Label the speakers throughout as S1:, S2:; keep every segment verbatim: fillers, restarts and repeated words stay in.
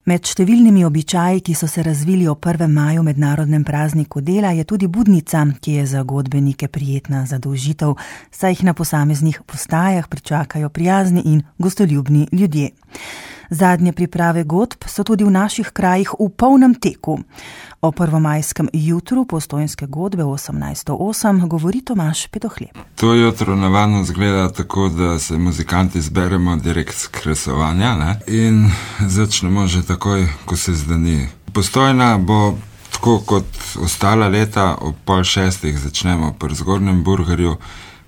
S1: Med številnimi običaji, ki so se razvili o prvem maju mednarodnem prazniku dela, je tudi budnica, ki je za godbenike prijetna zadolžitev, saj jih na posameznih postajah pričakajo prijazni in gostoljubni ljudje. Zadnje priprave godb so tudi v naših krajih v polnem teku. O prvomajskem jutru Postojnske godbe osemnajststo osem govori Tomaž Pedohleb.
S2: To jutro navadno zgleda tako, da se muzikanti zberemo direkt z kresovanja, ne? In začnemo že takoj, ko se zdani. Postojna bo tako kot ostala leta, ob pol šestih začnemo pri Zgornjem Burgerju,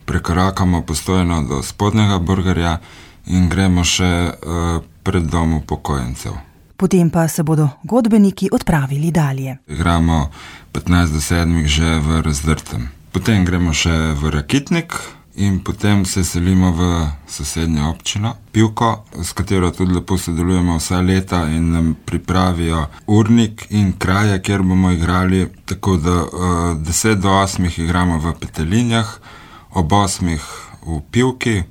S2: prekorakamo Postojno do Spodnjega Burgerja in gremo še uh, pred dom upokojencev.
S1: Potem pa se bodo godbeniki odpravili dalje.
S2: Igramo petnajst do sedmih že v Razdrtem. Potem gremo še v Rakitnik in potem se selimo v sosednjo občino Pivko, s katero tudi lepo sodelujemo vsa leta in nam pripravijo urnik in kraje, kjer bomo igrali, tako da uh, deset do osmih igramo v Petelinjah, ob osmih v Pivki,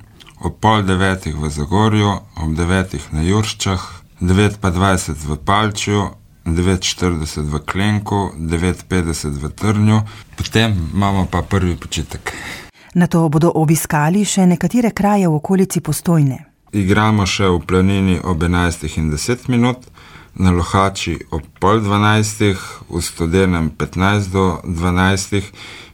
S2: ob pol devetih v Zagorju, ob devetih na Jurščah, devet pa dvajset v Palčju, devet štirideset v Klenku, devet petdeset v Trnju, potem imamo pa prvi počitek.
S1: Nato bodo obiskali še nekatere kraje v okolici Postojne.
S2: Igramo še v Planini ob enajstih in deset minut, na Lohači ob pol dvanajstih, v Studenem petnajst do dvanajstih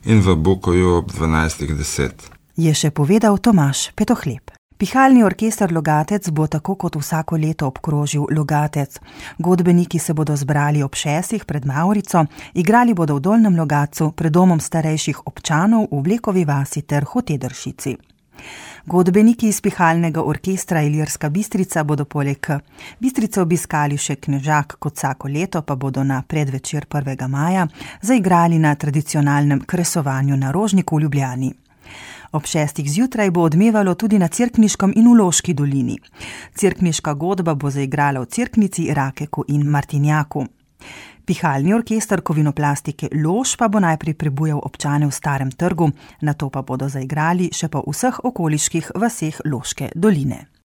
S2: in v Bukoju ob dvanajstih deset.
S1: Je še povedal Tomaž Pedohleb. Pihalni orkester Logatec bo tako kot vsako leto obkrožil Logatec. Godbeniki se bodo zbrali ob šestih pred Mavrico, igrali bodo v Dolnjem Logatcu, pred domom starejših občanov v Blekovi vasi ter Hotedršici. Godbeniki iz Pihalnega orkestra Ilirska Bistrica bodo poleg Bistrice obiskali še Knežak, kot vsako leto pa bodo na predvečer prvega maja zaigrali na tradicionalnem kresovanju na Rožniku v Ljubljani. Ob šestih zjutraj bo odmevalo tudi na Cerkniškem in v Loški dolini. Cerkniška godba bo zaigrala v Cerknici, Rakeku in Martinjaku. Pihalni orkester Kovinoplastike Lož pa bo najprej prebujal občane v Starem trgu, nato pa bodo zaigrali še po vseh okoliških vaseh Loške doline.